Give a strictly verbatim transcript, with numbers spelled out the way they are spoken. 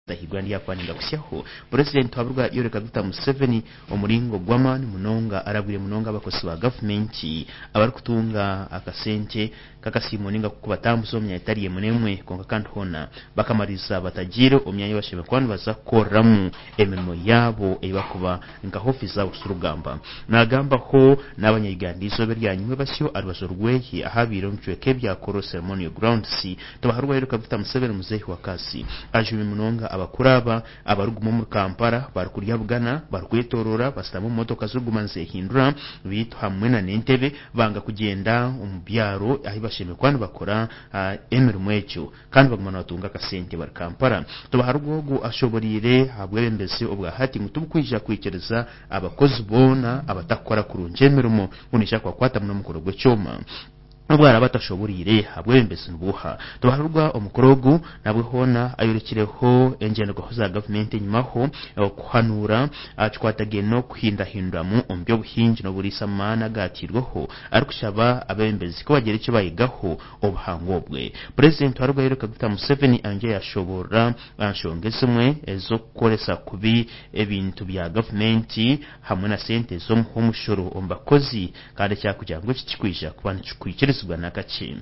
Ndahirwa ndyakuba kusyaho Purezidenti waburwa Yoweri Kaguta Museveni omuringo gw'amaani munonga arabwire munonga abakozi ba gavumenti abarikutunga akasente kakasiimo ninga kubatambuza omu myanya etari emwe n'emwe, kwonka kandi hoona bakamariza batagiire omu myanya ei bashemereire kuba nibaza kukoreramu emirimo yaabo ei barikuba nka ofiisi zaabo z'orugamba. Naagambaho n'abanya-Uganda eizooba eryanyima basyo aha rubaju rweye ahabaire omu bicweka ebya Kololo Ceremonial Grounds. Tibaharwa Yoweri Kaguta Museveni muzeehi wa kazi ajumire munonga abakuru aba abarikuguma omuri Kampala barikurya bugana, barikwetoorora, bashutami omu motoka zirikuguma nizehindura, beitu hamwe n'entebe banga kugyenda omu byaro ahu bashemereire kuba nibakora emirimo egyo kandi baguma nibatunga akasente bari Kampala. Tibaharwa ogu ashoboreire ahabwebembezi obwa hati ngu tibukwija kwikiriza abakozi boona abatakukora kurungi emirimo ngu neija kubakwata n'omukono gw'ekyoma. N'obu araabe atashoboreire ahabwebembezi nibuuha, tibaharurwa omukoro ogu nabwe hoona ayorekireho engyenderwaho za gavumenti enyimaho okuhanuura kikwatagaine n'okuhindahinduramu omu by'obuhingi n'oburiisa amaani agaatiirweho, arikushaba abeebembezi ku bagira eki bayigaho obuhangwa obwe. Purezidenti waruga Yoweri Kaguta Museveni ayongyire yashoboorora aha nshonga ezimwe ez'okukoresa kubi ebintu bya gavumenti hamwe na sente z'omuha omushoro omu bakozi, kandi ekyakugira ngu eki tikikwija kuba nikikwikirizibwa n'akakye.